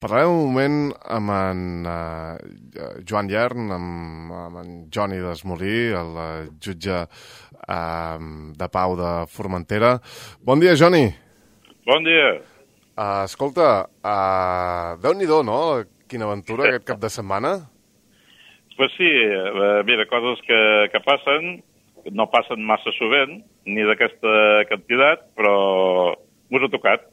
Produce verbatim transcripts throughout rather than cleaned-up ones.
Parlarem un moment amb en uh, Joan Llern, amb, amb en Joni Desmolí, el uh, jutge uh, de Pau de Formentera. Bon dia, Joni. Bon dia. Uh, escolta, uh, Déu-n'hi-do, no?, quina aventura aquest cap de setmana. Pues sí, uh, mira, coses que, que passen, no passen massa sovint, ni d'aquesta quantitat, però m'ho ha tocat.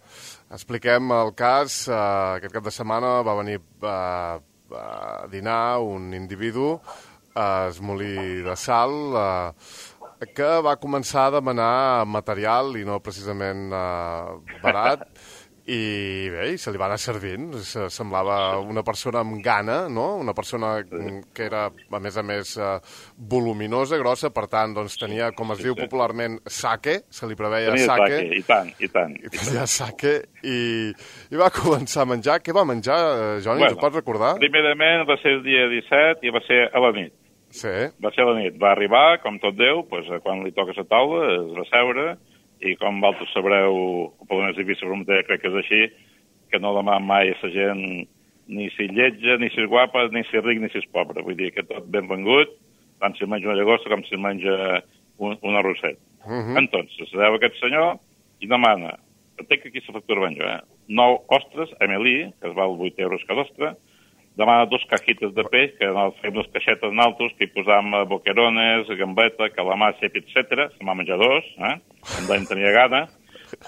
Expliquem el cas. Uh, aquest cap de setmana va venir uh, a dinar un individu a Esmolí de Sal uh, que va començar a demanar material i no precisament uh, barat, i bé, se li va anar servint. Semblava una persona amb gana, no? Una persona que era, a més a més, uh, voluminosa, grossa, per tant, doncs tenia, com es sí, diu sí. popularment, sake, se li preveia tenia sake. sake. I tant, i tant. I tenia sake, i, i va començar a menjar. Què va menjar, Joni? Bueno, t'ho pots recordar? Primerament va ser el dia disset i va ser a la nit. Sí. Va ser a la nit. Va arribar, com tot Déu, doncs, quan li toca la taula, es va seure, i com vosaltres sabreu, o per més difícil Formentera, crec que és així, que no demà mai a la gent ni si lletja, ni si és guapa, ni si és ric, ni si és pobre. Vull dir que tot benvengut, tant si menja una llagosta com si menja un, un arrosset. Uh -huh. Entonces, se deu aquest senyor i demana, entenc que aquí la factura ben jo, eh? nou ostres, Amélie, que es val vuit euros cada ostra, demana dos cajites de peix, que fem unes caixetes naltos, que hi posam boquerones, gambeta, calamar, cep, etcètera. Se m'ha menjat dos, eh? Em vam tenir gana.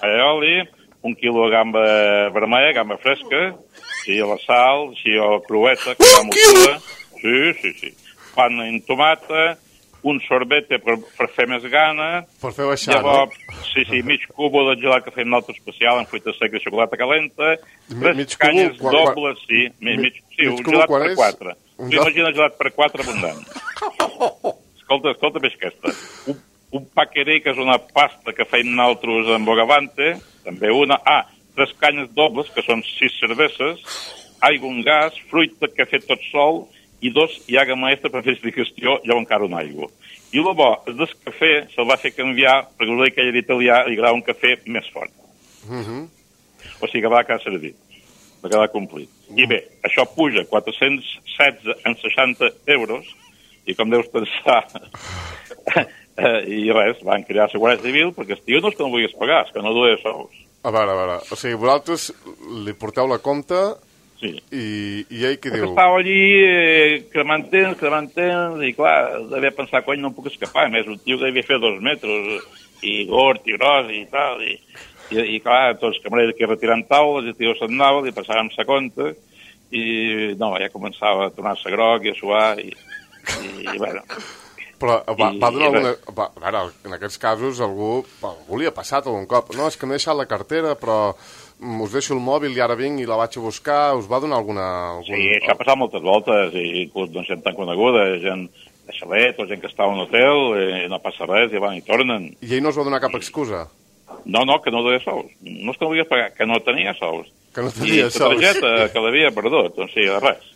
Aioli, un quilo de gamba vermella, gamba fresca, així a la sal, així a la crueta, que va mossura. Sí, sí, sí. Pan en tomata, un sorbete per, per fer més gana. Per fer baixar, llavors, no? Sí, sí, mig cubo de gelat que fem nosaltres especial amb fruita seca i xocolata calenta, tres mig canyes cubo, dobles, quan, sí, mig, mig, sí, mig un gelat per quatre. Tu imagina gelat per quatre abundant. Escolta, escolta més aquesta. Un, un paqueré, que és una pasta que feim nosaltres amb bogavante, també una. Ah, tres canyes dobles, que són sis cerveses, aigua, un gas, fruita que ha fet tot sol, i dos iaga maestra per fer digestió, llavors encara un aigua. I el bo, el del cafè se'l va fer canviar, perquè el que ell era italià, li agrada un cafè més fort. Uh -huh. O sigui que va quedar servit, va quedar complit. Uh -huh. I bé, això puja quatre-cents setze en seixanta euros, i com deus pensar, i res, van crear la Guàrdia Civil, perquè el tio no és que no vulguis pagar, és que no duia sous. A veure, a veure, o sigui, vosaltres li porteu la compta. Sí. I, i ell què diu? Estava allí eh, cremant-tens, cremant-tens, i clar, devia pensar, cony, no em puc escapar. A més, un tio que devia fer dos metres, i gord, i gros, i tal, i, i, i clar, tots els camarers aquí retirant taules, i el tio se'n anava, li passàvem sa compta, i no, ja començava a tornar-se groc i a suar, i, i, i bueno... Però va, va donar alguna... Va, a veure, en aquests casos algú, algú li ha passat algun cop. No, és que m'he deixat la cartera, però us deixo el mòbil i ara vinc i la vaig a buscar. Us va donar alguna... Algun... Sí, això ha passat moltes voltes, i inclús doncs, gent tan coneguda, gent de xalet, o gent que està a un hotel, i no passa res, i van i tornen. I ell no us va donar cap excusa? No, no, que no duia sous. No és que no vulguis pagar, que no tenia sous. Que no tenia I sous. I la targeta que l'havia perdut, doncs sí, res.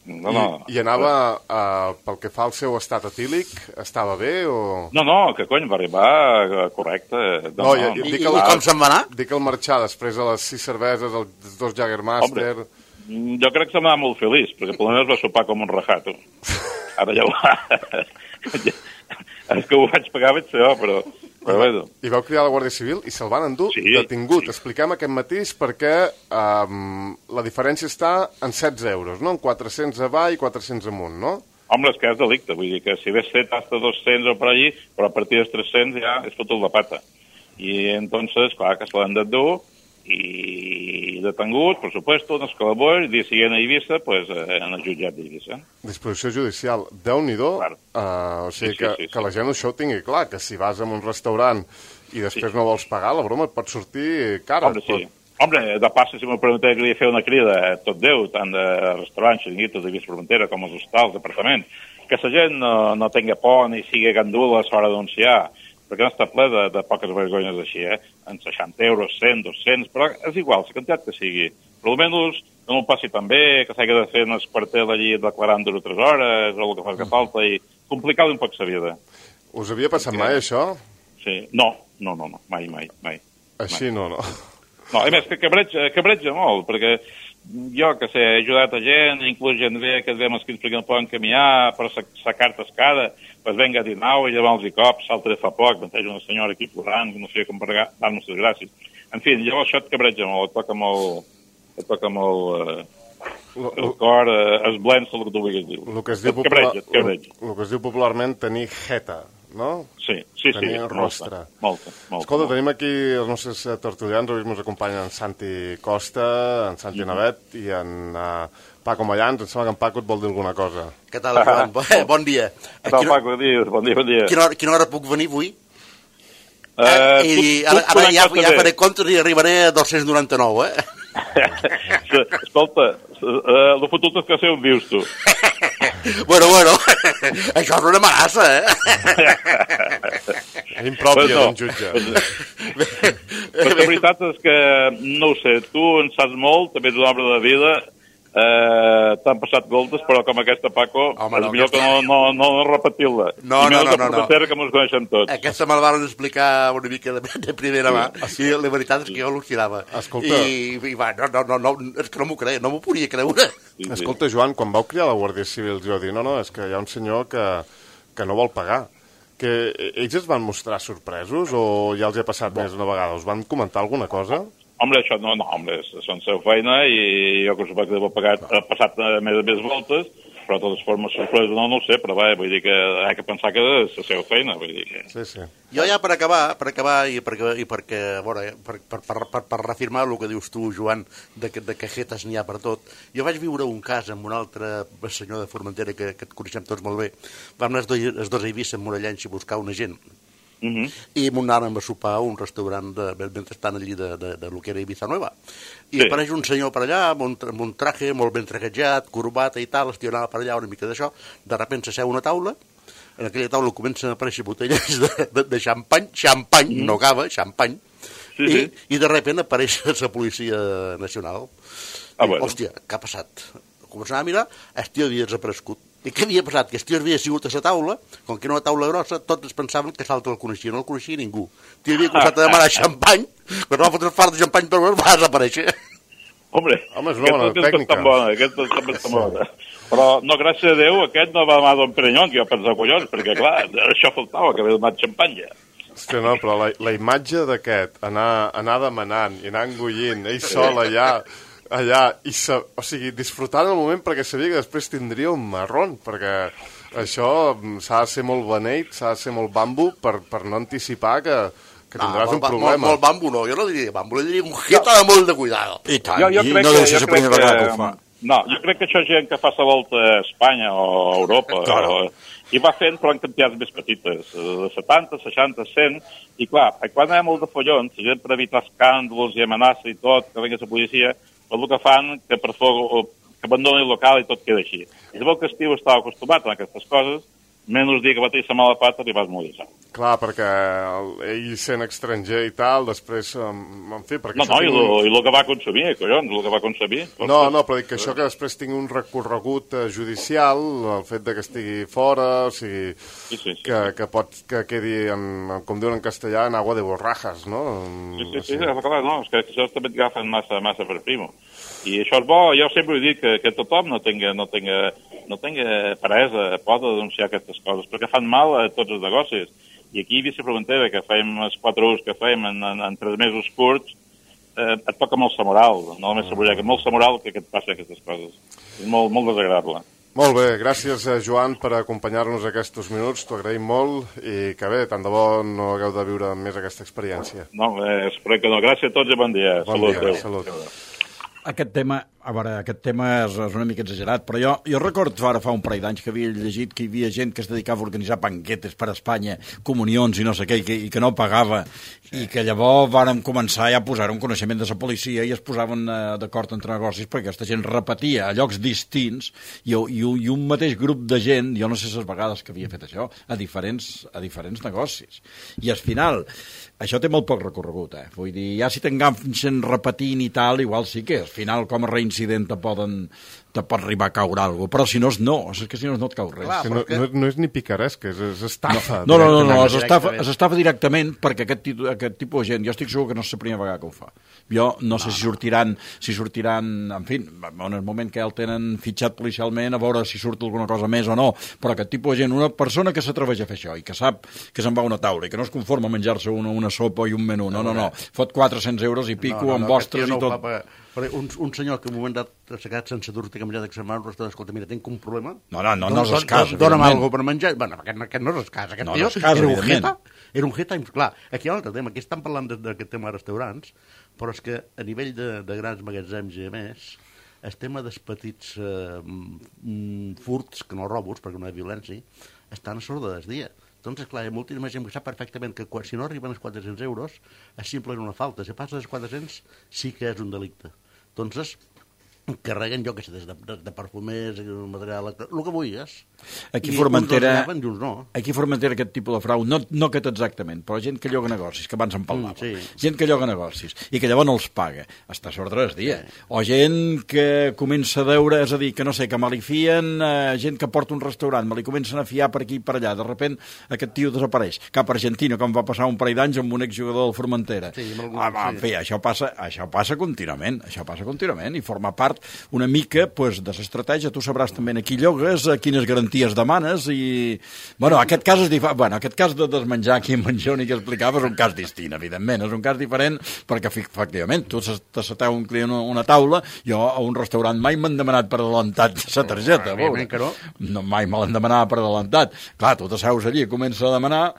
No, no. I, i anava, uh, pel que fa al seu estat etílic, estava bé o...? No, no, que cony, va arribar uh, correcte. No, no, no, i, no. I, I, I com se'n va anar? Dic el marxar després de les sis cerveses, els dos Jagermeister... Hombre, jo crec que se'm va anar molt feliç, perquè per almenys va sopar com un rajato. Ara ja ho va... És que ho vaig pagar, vaig ser jo, però... Però bueno. I vau cridar a la Guàrdia Civil i se'l van endur sí, detingut. Sí. Expliquem aquest matís perquè um, la diferència està en setze euros, no? En quatre-cents avall i quatre-cents amunt, no? Home, és que és delicte, vull dir que si hagués fet hasta dos-cents o per allí, però a partir dels tres-cents ja és fotut la pata. I entonces, clar, que se l'han d'endur i detengut, per supuesto, en escalabó, i dia siguient a Eivissa, pues, eh, en el jutjat d'Eivissa. Disposició judicial. Déu-n'hi-do, claro. uh, o sigui sí, que, sí, sí, que la gent això ho tingui clar, que si vas a un restaurant i després sí. no vols pagar, la broma et pot sortir cara. Hombre, sí. Hombre, de passa, si m'ho pregunteu, que li fer una crida a tot Déu, tant de restaurants, xiringuitos de Vista Formentera com els hostals, d'apartaments, que la gent no, no tenga por ni sigui gandula a l'hora d'anunciar, perquè no està ple de, de poques vergonyes així, eh? En seixanta euros, cent, dos-cents, però és igual, la quantitat que sigui. Però almenys no m'ho passi tan bé, que s'hagi de fer un esquartel allí declarant dues o tres hores, o el que fa que falta, i complicar un poc la vida. Us havia passat sí. mai, això? Sí. No, no, no, no, mai, mai, mai. Així mai. no, no. No, a més, que cabreja, cabreja molt, perquè jo que sé, he ajudat a gent, inclús gent ve que es ve amb els que no poden caminar, per sacar-te escada, pues venga a dinar i llevar-los i cops, salta de fa poc, m'enteix una senyora aquí plorant, que no sé com pagar, dar-nos les gràcies. En fi, llavors això et cabreja molt, et toca molt, et toca molt, eh, el cor, eh, es blença el que tu vulguis dir. El que es diu, popular, el, el que es diu popularment tenir jeta, no? Sí, sí, sí. Tenir rostre. Molta, molta. Escolta, molta. Tenim aquí els nostres tertulians, avui ens acompanyen en Santi Costa, en Santi mm-hmm. Navet i en uh, Paco Mayans. Em sembla que en Paco et vol dir alguna cosa. Què tal, Joan? Ah. Bon dia. Què tal, Paco? Dius? Bon dia, bon dia. Quina hora, quina hora puc venir avui? Uh, eh, I tu, ara, ara ja, ja faré comptes i arribaré a dos-cents noranta-nou, eh? Escolta, uh, el fotut és que sé on vius tu. Bueno, bueno, això és una amenaça, eh? És impròpia d'un jutge. Però la veritat és que, no ho sé, tu en saps molt, també ets un home de vida, eh, t'han passat goltes, però com aquesta, Paco, home, és no, millor aquesta... que no, no, no, no repetir-la. No, no, no, no, no. Que mos coneixem tots. Aquesta me'l van explicar una mica de, de primera mà, i la veritat és que jo al·lucinava. Escolta... I, i va, no, no, no, no, és que no m'ho creia, no m'ho podia creure. Sí, sí. Escolta, Joan, quan vau criar la Guàrdia Civil, jo dir, no, no, és que hi ha un senyor que, que no vol pagar. Que ells es van mostrar sorpresos o ja els hi ha passat més una vegada? Us van comentar alguna cosa? Home, això no, no, home, són seva feina i jo que suposo que deu pagar, ha passat més més voltes, però de totes formes sorpresa no, no ho sé, però va, vull dir que ha de pensar que és la seva feina, vull dir que... Sí, sí. Jo ja per acabar, per acabar i perquè, i perquè bueno, per, per, per, per, per reafirmar el que dius tu, Joan, de, de cajetes n'hi ha per tot, jo vaig viure un cas amb un altre senyor de Formentera que, que et coneixem tots molt bé. Vam anar els dos, els dos a Eivissa amb Morellans i buscar una gent. Uh-huh. I m'ho anàvem a sopar a un restaurant de, mentre estan allí de, de, de lo que era Ibiza Nueva i sí. Apareix un senyor per allà amb un, amb un traje molt ben traquejat, corbata i tal, el anava per allà una mica d'això, de sobte s'asseu una taula, en aquella taula comencen a aparèixer botelles de, de, de xampany, xampany, uh-huh. no cava, xampany, sí, i, sí. i de sobte apareix la policia nacional. Ah, I, bueno. Hòstia, què ha passat? Començant a mirar, el tio havia desaparegut. I què havia passat? Que el tio havia sigut a la taula, com que era una taula grossa, tots es pensaven que l'altre el coneixia, no el coneixia ningú. El tio havia començat a demanar xampany, però no va fotre fart de xampany, però va desaparèixer. Hombre, Home, és una bona tècnica. Bona, aquesta també està bona. Però, no, gràcies a Déu, aquest no va demanar Don Perignon, que jo pensava, collons, perquè, clar, això faltava, que havia demanat xampany ja. Hòstia, no, però la, la imatge d'aquest, anar, anar demanant i anar engollint, ell sol allà... allà, i sa... o sigui, disfrutant el moment perquè sabia que després tindria un marrón, perquè això s'ha de ser molt beneit, s'ha de ser molt bambu per, per no anticipar que, que tindràs no, un problema. Molt, molt bambu no, jo no diria bambu, jo diria un jeta de molt de cuidado. I tant, jo, jo i crec no que, deu ser la primera vegada que ho fa. No, jo crec que això és gent que fa la volta a Espanya o a Europa, claro. o, i va fent però en quantitats més petites, de setanta, seixanta, cent, i clar, quan hi ha molt de follons, la gent per evitar escàndols i amenaces i tot, que vengui la policia, el que fan que per foc, que abandoni el local i tot queda així. I sabeu que Estiu estava acostumat a aquestes coses, menys dir que va tenir la mala pata i vas morir. Clar, perquè el, ell sent estranger i tal, després, en fi... Perquè no, no, i el un... que va consumir, collons, el que va consumir. No, no, però dic que això que després tingui un recorregut judicial, el fet de que estigui fora, o sigui, sí, sí, sí. Que, que pot que quedi, en, com diuen en castellà, en agua de borrajas, no? Sí, sí, sí, sí, clar, no, és que això també et agafen massa, massa per primo. I això és bo, jo sempre he dit que, que tothom no tinga, no tinga, no tinga peresa, pot denunciar aquestes coses, perquè fan mal a tots els negocis. I aquí a Eivissa Formentera, que fem els quatre ús que fem en, en, en tres mesos curts, eh, et toca molt la moral, no només la moral, que molt la moral que, que et passi aquestes coses. És molt, molt desagradable. Molt bé, gràcies, Joan, per acompanyar-nos aquests minuts, t'ho agraïm molt, i que bé, tant de bo no hagueu de viure més aquesta experiència. No, eh, espero que no. Gràcies a tots i bon dia. Bon salut, dia, salut. Aquest tema, a veure, aquest tema és, és una mica exagerat, però jo, jo recordo ara fa un parell d'anys que havia llegit que hi havia gent que es dedicava a organitzar banquetes per a Espanya, comunions i no sé què, i que, i que no pagava, sí. I que llavors vàrem començar ja a posar un coneixement de la policia i es posaven eh, d'acord entre negocis perquè aquesta gent repetia a llocs distints i, i, i un mateix grup de gent, jo no sé les vegades que havia fet això, a diferents, a diferents negocis. I al final, això té molt poc recorregut, eh? Vull dir, ja si t'enganxen repetint i tal, igual sí que al final com a reincidència incident te poden te pot arribar a caure alguna cosa, però si no, no, és que si no, no et cau res. Clar, Que no, perquè- no, no és ni picaresca, és, és estafa. No, no, no, no, directament. es estafa, Directament. es estafa directament perquè aquest, titu- aquest tipus de gent, jo estic segur que no és la primera vegada que ho fa. Jo no sé si sortiran, si sortiran, en fi, en el moment que ja el tenen fitxat policialment, a veure si surt alguna cosa més o no, però aquest tipus de gent, una persona que s'atreveix a fer això i que sap que se'n va a una taula i que no es conforma a menjar-se una, una sopa i un menú, no, no, no, fot quatre-cents euros i pico amb vostres aquest i tio no ho tot. fa pagar. Però un, un senyor que en un moment dat s'ha quedat sense dur, té que menjar d'extremar un restaurant, escolta, mira, tinc un problema. No, no, no, Don- no és don- escàs, don- Dóna'm evidentment. alguna per menjar. Bueno, aquest, aquest no és escàs, aquest No, tio no és escàs, era un evidentment. jeta. Era un jeta, clar, aquí hi ha un altre tema, aquí estan parlant de- d'aquest tema de restaurants, però és que a nivell de, de grans magatzems i a més, el tema dels petits eh, mm, furts, que no robos, perquè no hi ha violència, estan a sorda del dia. Doncs, clar, hi ha moltíssima gent que sap perfectament que quan, si no arriben als quatre-cents euros és simplement una falta. Si passa dels quatre-cents sí que és un delicte. Doncs carreguen, jo que sé, des de, de, de perfumers, material, el que vulguis. Aquí I Formentera, uns els agafen i uns no. aquí Formentera aquest tipus de frau, no, no aquest exactament, però gent que lloga negocis, que abans en parlàvem, Mm, sí. gent que lloga negocis i que llavors no els paga, està a l'ordre del dia. Sí. O gent que comença a veure, és a dir, que no sé, que me li fien, eh, gent que porta un restaurant, me li comencen a fiar per aquí i per allà, de repent aquest tio desapareix, cap a Argentina, com va passar un parell d'anys amb un exjugador del Formentera. Sí, amb algun- ah, va, en sí. fi, això passa, això passa contínuament, això passa contínuament i forma part una mica pues, de l'estratègia. Tu sabràs també a qui llogues, a quines garanties demanes i... Bueno, aquest cas és diferent. Bueno, aquest cas de desmenjar aquí en Manjoni que explicava és un cas distint, evidentment. És un cas diferent perquè, efectivament, tu t'asseteu un client a una taula, jo a un restaurant mai m'han demanat per adelantat la targeta. a veure. Evidentment que no. No, mai me l'han demanat per adelantat. Clar, tu t'asseus allí i comença a demanar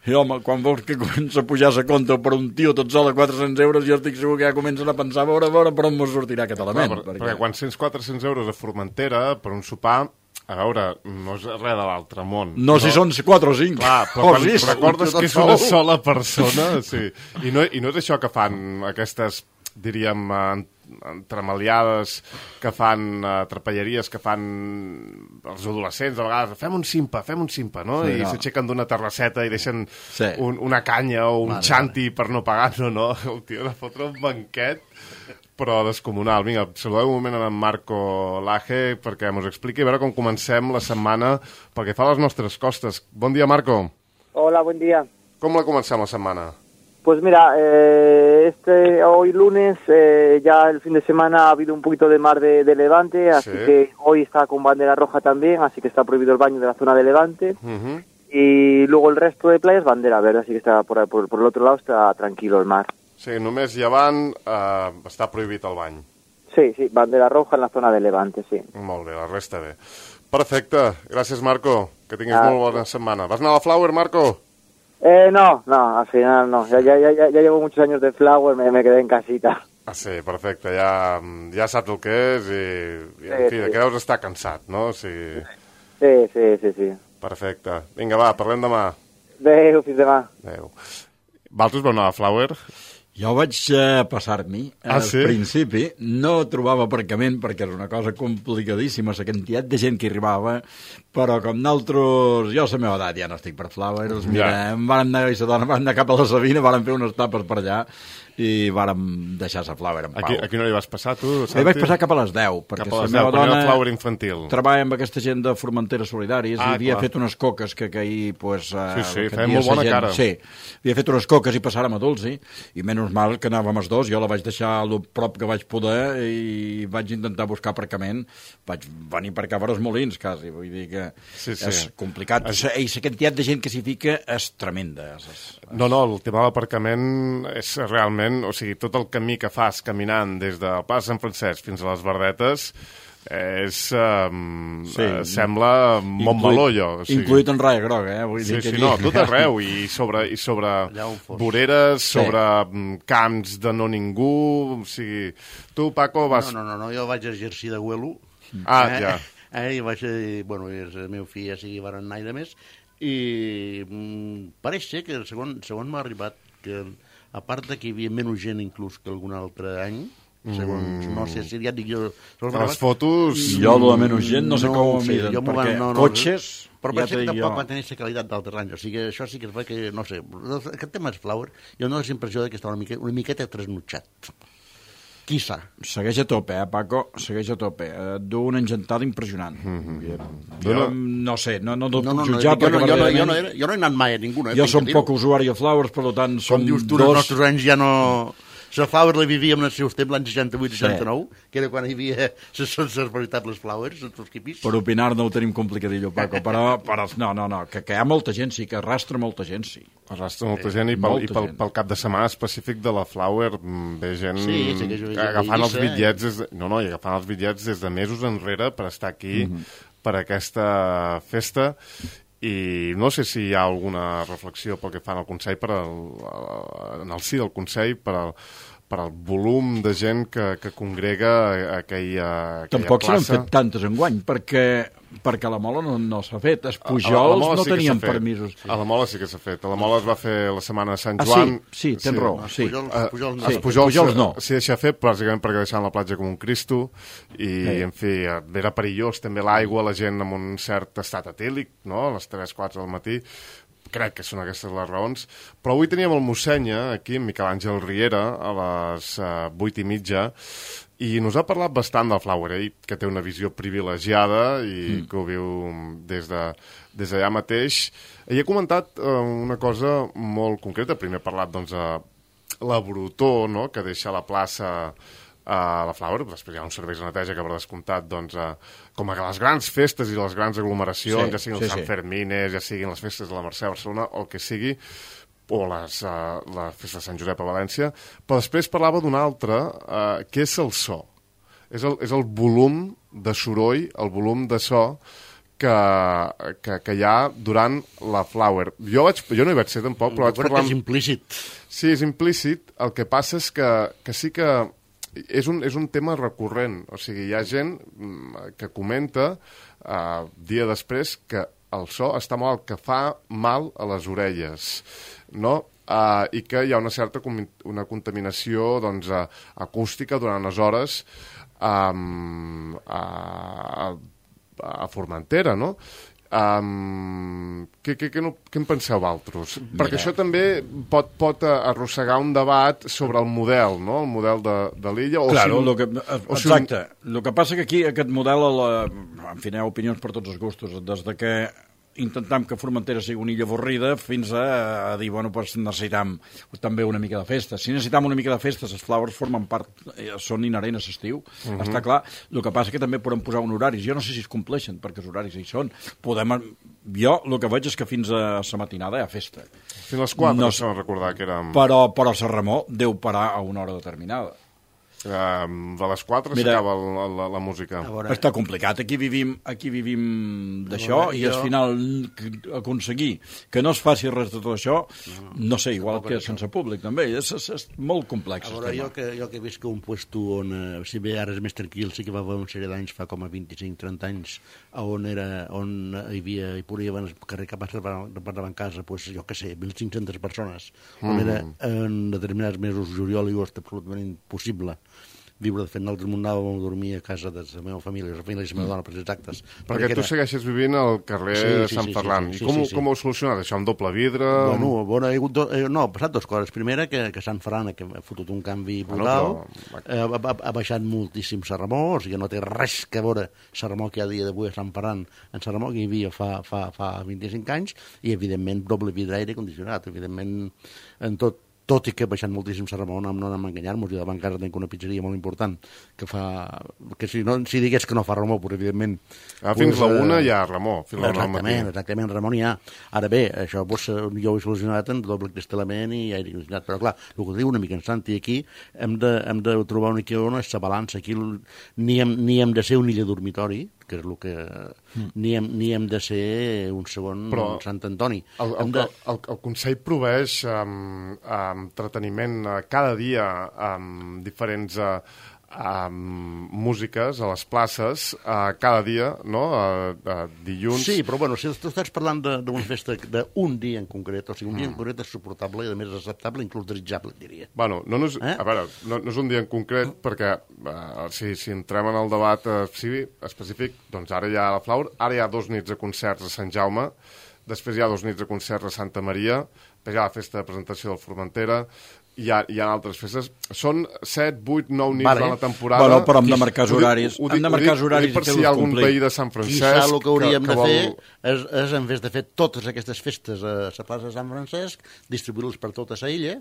i, home, quan veus que comença a pujar la compta per un tio tot sol a quatre-cents euros, jo estic segur que ja comencen a pensar a veure, a veure per on mos sortirà aquest element. Clar, per, perquè quan cents quatre-cents euros a Formentera per un sopar, a veure, no és res de l'altre món. No, si són quatre o cinc. Clar, però o quan sis. recordes que és una sola persona, sí. I no, I no és això que fan aquestes, diríem, eh, entremaliades que fan, uh, trapelleries que fan els adolescents, a vegades, fem un simpa, fem un simpa, no? Sí, I no. s'aixequen d'una terrasseta i deixen Sí. un, una canya o un Vale, xanti per no pagar, no, no. El tio de fotre un banquet, però descomunal. Vinga, saludeu un moment amb en Marco Laje perquè mos expliqui a veure com comencem la setmana pel que fa a les nostres costes. Bon dia, Marco. Hola, buen día. Com la comencem la setmana? Pues mira, eh, este hoy lunes, eh, ya el fin de semana ha habido un poquito de mar de, de Levante, así Sí. que hoy está con bandera roja también, así que está prohibido el baño de la zona de Levante. Uh-huh. Y luego el resto de playas bandera verde, así que está por, ahí, por, por el otro lado está tranquilo el mar. Sí, només llevant eh, està prohibit el bany. Sí, sí, bandera roja en la zona de Levante, sí. Molt bé, la resta bé. Perfecte, gràcies, Marco. Que tinguis Ah. molt bona setmana. Vas anar a la Flower, Marco? Eh, no, no, al final no. Ya, ya, ya, ya llevo muchos años de Flower, me, me quedé en casita. Ah, sí, perfecte. Ja, ja saps el que és i, i en Sí, fi, de sí. què deus estar cansat, no? O sigui, Sí, sí, sí, sí. perfecte. Vinga, va, parlem demà. Adéu, fins demà. Adéu. Valtros vau anar a la Flower? Jo vaig eh, passar-m'hi. Ah, Al sí? principi no trobava aparcament perquè és una cosa complicadíssima, la quantitat de gent que hi arribava, però com nosaltres, jo a la meva edat ja no estic per Flowers, mira, Ja. em vàrem anar, i la dona vam anar cap a la Sabina, vàrem fer unes tapes per allà i vàrem deixar la Flower en pau. Aquí, aquí no hi vas passar, tu, Hi vaig passar cap a les deu, perquè Cap a la les meva deu, quan era dona el Flower infantil. treballa amb aquesta gent de Formentera Solidaris Ah, i havia clar. fet unes coques que, que ahir pues, eh, Sí, sí, el que feia dia molt bona sa gent, cara. sí, havia fet unes coques i passàrem a Dulci i menys mal que anàvem els dos, jo la vaig deixar el prop que vaig poder i vaig intentar buscar aparcament, vaig venir per cap a els Molins quasi, vull dir que Sí, sí. és complicat Es- i la quantitat de gent que s'hi fica és tremenda és, és, No, no, el tema de l'aparcament és realment, o sigui, tot el camí que fas caminant des del Pas de Sant Francesc fins a les Verdetes és, um, Sí. eh, sembla Montmeló, allò. O sigui, incluït en raia groga, eh? Vull Sí, dir que sí, allí- no, tot arreu, i sobre, i sobre Allà on fos. voreres, Sí. sobre mm, camps de no ningú, o sigui... Tu, Paco, vas... No, no, no, no, jo vaig exercir de güelo. Ah, eh? ja. Eh, i vaig, eh, bueno, i el meu fill ja sigui van anar i de més, i mm, pareix ser que segon, segon m'ha arribat que a part de que hi havia menys gent inclús que algun altre any, segons, no sé si ja et dic jo... segons m'ha Les arribat, fotos... Jo, lo de menys gent, no sé com ho sé, miden, jo m'ho perquè van- no, no, cotxes, però ja ja t'ho que dic tampoc jo. va tenir la qualitat d'altres anys, o sigui, això sí que es va que, no sé, aquest tema és Flower, jo no la impressió de que està una, mica, una miqueta trasnutxat. Quissa. Segueix a tope, eh, Paco? Segueix a tope. Eh, du una engentada impressionant. Mm-hmm. Jo no sé, no, no, no, No, no, no, jutjar, jo, no, perquè jo, no, jo, no, verdaderament he- jo no he anat mai a ninguna. Eh, jo tinc som que dir-ho. poc usuari de Flowers, per tant, Com som dius tu, dos... els nostres anys ja no... La Flower la vivíem en els seus temps, l'any seixanta-vuit seixanta-nou, sí. que era quan hi havia les, les veritables Flowers, els seus quipis. Per opinar no ho tenim complicadillo, Paco, però, però no, no, no, que, que hi ha molta gent, sí, que arrastra molta gent, sí. Arrastra molta gent i, pel, molta i pel, gent. pel cap de setmana específic de la Flower mm, ve gent Sí, sí que jo veig agafant els Eivissa, bitllets des de, no, no, i agafant els bitllets des de mesos enrere per estar aquí Mhm. per aquesta festa. I no sé si hi ha alguna reflexió pel que fan al Consell per al, en el si del Consell per al, per al volum de gent que, que congrega aquella, aquella Tampoc se n'han plaça. fet tantes enguany, perquè, perquè a la Mola no, no s'ha fet. Els A- a la Pujols Mola no sí que tenien s'ha fet. permisos. A la Mola sí que s'ha fet. A la Mola es va fer la setmana de Sant Ah, Joan. sí, sí, tens raó, sí. Pujols, Eh, Pujols, els sí. Pujols, Pujols no. s'hi deixa fer bàsicament perquè deixaven la platja com un Cristo i, Sí. en fi, eh, era perillós també l'aigua, la gent amb un cert estat etèlic, no?, a les tres quatre del matí. Crec que són aquestes les raons. Però avui teníem el mossenya, aquí, en Miquel Àngel Riera, a les uh, vuit i mitja, i nos ha parlat bastant del Flower, ell, que té una visió privilegiada i mm. que ho viu des de des d'allà mateix. Ell ha comentat uh, una cosa molt concreta. Primer ha parlat, doncs, de la brutor, no?, que deixa la plaça a la Flower, després hi ha uns serveis de neteja que per descomptat, doncs, eh, com a les grans festes i les grans aglomeracions, Sí, ja siguin sí, els Sant sí. Fermines, ja siguin les festes de la Mercè a Barcelona, o el que sigui, o les, uh, la festa de Sant Josep a València, però després parlava d'un altre, uh, que és el so. És el, és el volum de soroll, el volum de so que, que, que hi ha durant la Flower. Jo, vaig, jo no hi vaig ser tampoc, però vaig crec parlar... que és Amb... implícit. Sí, és implícit. El que passa és que, que sí que és un, és un tema recurrent. O sigui, hi ha gent mm, que comenta uh, dia després que el so està mal, que fa mal a les orelles, no? Uh, i que hi ha una certa com, una contaminació, doncs, uh, acústica durant les hores um, a, a, a Formentera, no? Um, què, què, què, no, què en penseu altres? Mira. Perquè això també pot, pot arrossegar un debat sobre el model, no? El model de, de l'illa. Claro, si, lo que, exacte. Si un... El que passa que aquí aquest model, la, en fi, hi ha opinions per tots els gustos, des de que intentam que Formentera sigui una illa avorrida fins a, a dir, bueno, pues necessitam també una mica de festa. Si necessitam una mica de festa, les Flowers formen part, eh, són inherents a l'estiu, uh-huh. Està clar. El que passa que també podem posar un horari. Jo no sé si es compleixen, perquè els horaris hi són. Podem... Jo el que veig és que fins a la matinada hi ha festa. Fins a les quatre, no no sé recordar que érem... Però, però Sant Ramó deu parar a una hora determinada. Uh, de les quatre s'acaba la, la música. Està complicat. Aquí vivim, aquí vivim d'això i al final aconseguir que no es faci res de tot això, no, no sé, igual que sense públic també. És, és, és molt complex. A veure, jo que, jo que he vist que un puesto on, eh, si bé ara és més tranquil, sí que va haver una sèrie d'anys, fa com a vint-i-cinc trenta anys, on, era, on hi havia, hi podia haver el carrer que passaven casa, pues, jo que sé, mil cinc-centes persones, on mm. era en determinats mesos, juliol i agost, absolutament impossible viure. De fet, nosaltres anàvem a dormir a casa de la meva família, la família de la meva dona, per exactes. Perquè, perquè tu era... segueixes vivint al carrer sí, sí, Sant sí, Ferran. Sí, sí, sí, I com, sí, sí. com ho heu solucionat, això, amb doble vidre? Bueno, bueno he hagut do... eh, no, ha passat dues coses. Primera, que, que Sant Ferran que ha fotut un canvi brutal, bueno, però... eh, ha, ha baixat moltíssim Sant Ramó, o sigui, no té res que veure Sant Ramó que hi ha dia d'avui a Sant Ferran en Sant Ramó que hi havia fa, fa, fa vint-i-cinc anys, i evidentment doble vidre aire condicionat, evidentment en tot tot i que ha baixat moltíssim Sant Ramon, no anem a enganyar-nos, i davant casa tinc una pizzeria molt important, que fa... que si, no, si digués que no fa Ramó, però evidentment... Ah, fins pues, la una hi ha Ramó, fins la una al matí. Exactament, exactament, Ramon hi ha. Ara bé, això pues, jo ho he solucionat en doble cristal·lament i aire condicionat, però clar, el que diu una mica en Santi, aquí hem de, hem de trobar una mica on és la balança, aquí ni hem, ni hem de ser un illa dormitori, que és el que... Mm. Ni, hem, ni hem de ser un segon però Sant Antoni. El, el, de... el, el Consell proveeix um, um, entreteniment uh, cada dia amb um, diferents uh, um, músiques a les places, uh, cada dia, no? Uh, uh, dilluns... Sí, però bueno, si tu estàs parlant d'una festa d'un dia en concret, o sigui, un mm. dia en concret és suportable i a més és acceptable, inclús desitjable, diria. Bueno, no, no és, eh? a veure, no, no és un dia en concret mm. perquè uh, si, si entrem en el debat uh, sí, específic, doncs ara hi ha la Flower, ara hi ha dos nits de concerts a Sant Jaume, després hi ha dos nits de concerts a Santa Maria, després hi ha la festa de presentació del Formentera, hi ha, hi ha altres festes. Són set, vuit, nou nits Vale. a la temporada. Bueno, però hem de Qui- marcar ho dic- horaris. ho dic- Hem de ho marcar dic- ho horaris dic per i si hi fer-los ha algun complir. veí de Sant Francesc... Quizà el que hauríem que, de que vol... fer és, és, en vez de fer totes aquestes festes a la plaça de Sant Francesc, distribuir-les per tota la illa,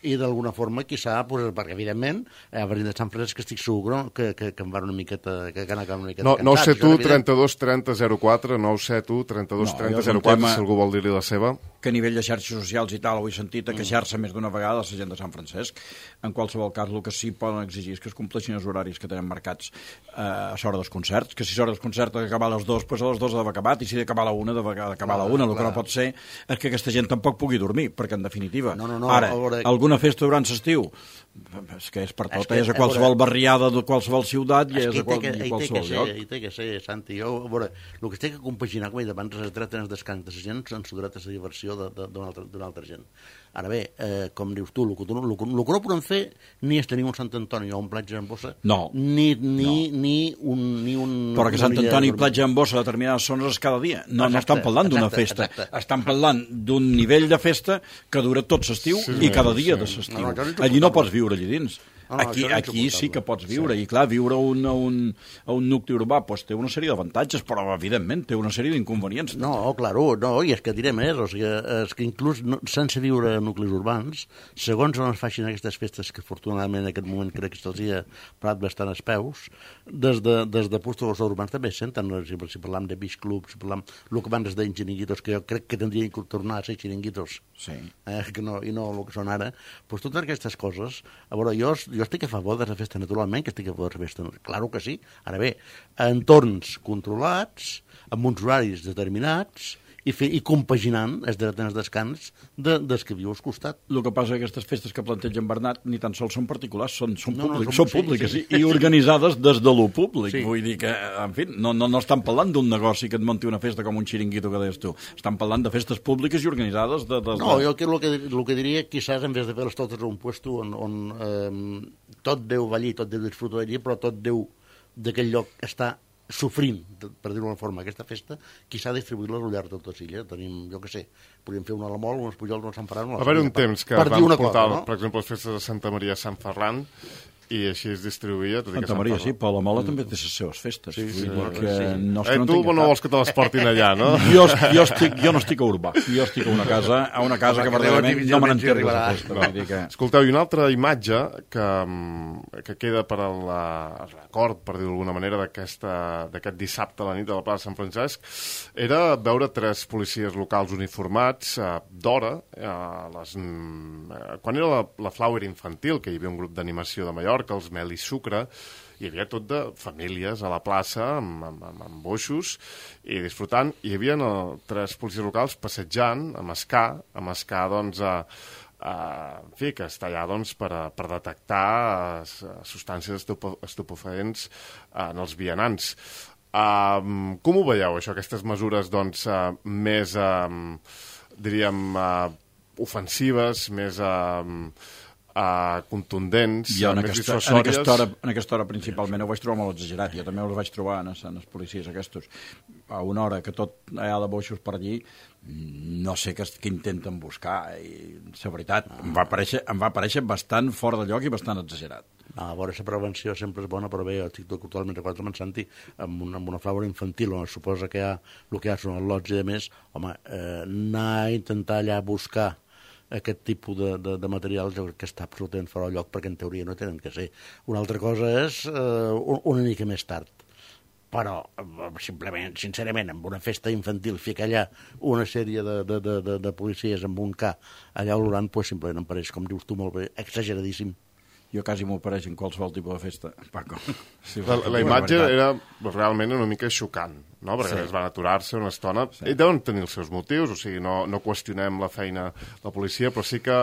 i d'alguna forma, quizà, pues, perquè evidentment, a Berlín de Sant Francesc estic segur que, que, que em van una miqueta, que, que han acabat una miqueta No, nou cansats, set això u és evident. trenta-dos trenta zero quatre, nou set u trenta-dos trenta zero quatre, No, jo és un tema- si algú vol dir-li la seva. Que a nivell de xarxes socials i tal ho he sentit a queixar-se més d'una vegada la gent de Sant Francesc. En qualsevol cas, el que sí poden exigir és que es compleixin els horaris que tenen marcats eh, a l'hora dels concerts, que si l'hora dels concerts ha d'acabar a les dues, doncs a les dues ha d'haver acabat, i si ha d'acabar a la una, ha d'acabar a la una. El que no pot ser és que aquesta gent tampoc pugui dormir, perquè en definitiva, No, no, no, ara, a veure- alguna festa durant l'estiu, és que és per tot, És que, és a a qualsevol veure- barriada de qualsevol ciutat i És és que a, qual, hi té que, i hi té que qualsevol ser, lloc. hi té que ser, Santi. Jo, a veure, el que es té que compaginar, com he dit abans, és el dret en el descans de la gent en el dret a la diversió de- de- d'una altra, d'una altra gent. Ara bé, eh, com dius tu, el que, tu- el, que, el que no podem fer ni és tenir un Sant Antoni o un platja en bossa, No. ni, ni, no. ni un... Ni un Però que una Sant via Antoni i dormir. Platja en Bossa a determinades zones és cada dia. No, no Exacte, estan parlant d'una exacte, festa. exacte. Estan parlant d'un nivell de festa que dura tot l'estiu Sí, i cada sí. dia de l'estiu. No, no, això és Allí no insuportable. pots viure allí dins. No, no, aquí això és aquí sí insuportable. que pots viure. I clar, viure a un, a un, a un nucli urbà pues, té una sèrie d'avantatges, però evidentment té una sèrie d'inconvenients. No, claro, no, i és que diré més, o sigui, és que inclús no, sense viure en nuclis urbans, segons on es facin aquestes festes, que afortunadament en aquest moment crec que se'ls hi ha parat bastant els peus, des de, des de puestos urbans també es senten, no? si, si parlam de beach clubs, si parlam el que abans es deien xiringuitos, que jo crec que tindrien que tornar a ser xiringuitos, Sí. eh, que no, i no el que són ara, doncs totes aquestes coses, a veure, jo, jo estic a favor de la festa naturalment, que estic a favor de la festa, claro que sí, ara bé, entorns controlats, amb uns horaris determinats, i, fer, i compaginant els drets en el descans de, dels que viu al costat. El que passa és que aquestes festes que plantegen Bernat ni tan sols són particulars, són, són, No, no, públic, són- són públiques sí, sí. i, i organitzades des de lo públic. Sí. Vull dir que, en fi, no, no, no estan parlant d'un negoci que et munti una festa com un xiringuito que deies tu. Estan parlant de festes públiques i organitzades de... de, de... No, jo el que, el que, el que diria, quizás, en vez de fer-les totes a un puesto on, on eh, tot Déu va allí, tot Déu disfruta d'allí, però tot Déu d'aquell lloc està sofrint, per dir-ho d'una forma, aquesta festa, qui s'ha distribuït-la al llarg de tota l'illa. Tenim, jo què sé, podríem fer una a la Mol, unes Pujols, unes Sant Ferran... Va haver un temps que per dir vam una portar, cosa, no? per exemple, les festes de Santa Maria a Sant Ferran, i així es distribuïa. Tot i que Santa Sant Maria, sí, Ferran- però la Mola també té les seves festes. Sí, sí, Vull dir bueno, que sí. no és que Eh, no tu tinguin no cap. vols que te les portin allà, no? Jo, jo, estic, jo no estic a Urbà, jo estic a una casa, a una casa que Home, que verdaderament deu no me difícilment s'hi n'entero de arribarà. festa. Vull dir que... Escolteu, i una altra imatge que, mm, que queda per al eh, record, per dir-ho d'alguna manera, d'aquest dissabte a la nit de la plaça Sant Francesc, era veure tres policies locals uniformats eh, d'hora, eh, les, mm, eh, quan era la, la Flower Infantil, que hi havia un grup d'animació de Mallorca, els Mel i Sucre, hi havia tot de famílies a la plaça amb, amb, amb, amb boixos i disfrutant. Hi havia uh, tres policies locals passejant amb escà, amb escà, doncs, a, a, en fi, que està allà doncs, per, a, per detectar uh, substàncies estupo, estupefaents uh, en els vianants. Uh, com ho veieu, això, aquestes mesures doncs, uh, més, uh, diríem, uh, ofensives, més... Uh, Uh, contundents, Jo en més aquesta, en, dissuasòries. aquesta hora, en aquesta hora principalment ho vaig trobar molt exagerat. Jo també els vaig trobar en, en els policies aquests. A una hora que tot hi ha de boixos per allí, no sé què, què intenten buscar. I la veritat, em va, aparèixer, em va aparèixer bastant fora de lloc i bastant exagerat. No, a veure, la prevenció sempre és bona, però bé, jo estic totalment d'acord amb en Santi, amb una, amb una Flower Infantil, on es suposa que hi ha, el que hi ha són els lots i de més, home, eh, anar a intentar allà buscar aquest tipus de, de, de materials jo crec que està absolutament fora de lloc, perquè en teoria no tenen que ser. Una altra cosa és eh, una mica més tard. Però, simplement, sincerament, amb una festa infantil, ficar allà una sèrie de, de, de, de, de policies amb un K allà olorant, pues, simplement em pareix, com dius tu molt bé, exageradíssim. Jo quasi m'ho apareix en qualsevol tipus de festa, Paco. Sí, La, la imatge era realment una mica xocant, no? Perquè sí. Es van aturar-se una estona. Sí. I deuen tenir els seus motius, o sigui, no, no qüestionem la feina de la policia, però sí que,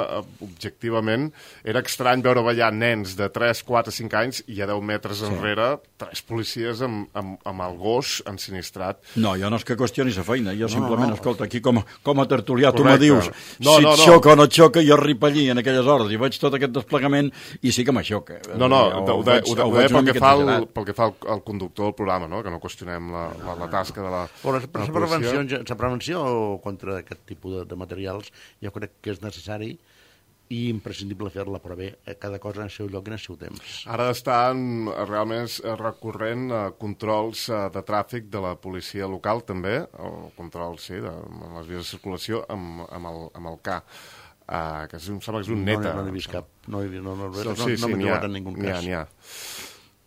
objectivament, era estrany veure ballar nens de tres, quatre, cinc anys i a deu metres sí. enrere tres policies amb, amb, amb el gos ensinistrat. No, jo no és que qüestioni la feina, jo No, simplement, no, no. escolta, aquí com, com a tertulià tu Correcte. me dius No, si no, et no. xoca o no et xoca, jo arribo allí en aquelles hores i veig tot aquest desplegament i sí que m'aixoca. No, no, Ho ho, de, veig- ho, de, ho ho deia veig una pel que mica fa al, exagerat. pel que fa al, al conductor del programa, no? Que no qüestionem la, la, la tasca de la, Però de la la prevenció, policia. la prevenció contra aquest tipus de, de materials jo crec que és necessari i imprescindible fer-la, però bé, cada cosa en el seu lloc i en el seu temps. Ara estan realment recorrent a controls de tràfic de la policia local, també, o controls, sí, de les vies de circulació amb, amb, el, amb el K, uh, que és, em sembla que és un neta. No n'he vist cap, no, no, no, no, no, sí, sí, no m'he n'hi ha, trobat en ningú cas. N'hi ha,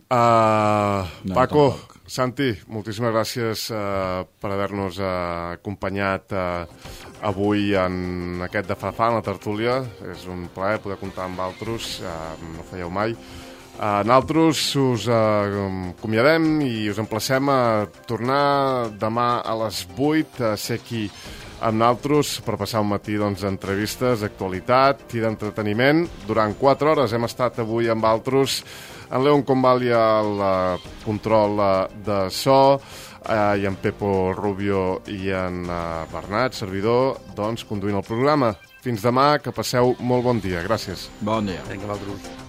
Uh, no, Paco, tampoc. Santi, moltíssimes gràcies uh, per haver-nos uh, acompanyat uh, avui en aquest de Fa-Fa, en la tertúlia. És un plaer poder comptar amb altres, uh, no ho fèieu mai. Uh, nosaltres us uh, acomiadem i us emplacem a tornar demà a les vuit a ser aquí amb nosaltres per passar un matí doncs, d'entrevistes, d'actualitat i d'entreteniment. Durant quatre hores hem estat avui amb altres, en Leon Convalli al uh, control uh, de so, uh, i en Pepo Rubio i en uh, Bernat, servidor, doncs, conduint el programa. Fins demà, que passeu molt bon dia. Gràcies. Bon dia. Vinga, Valtros.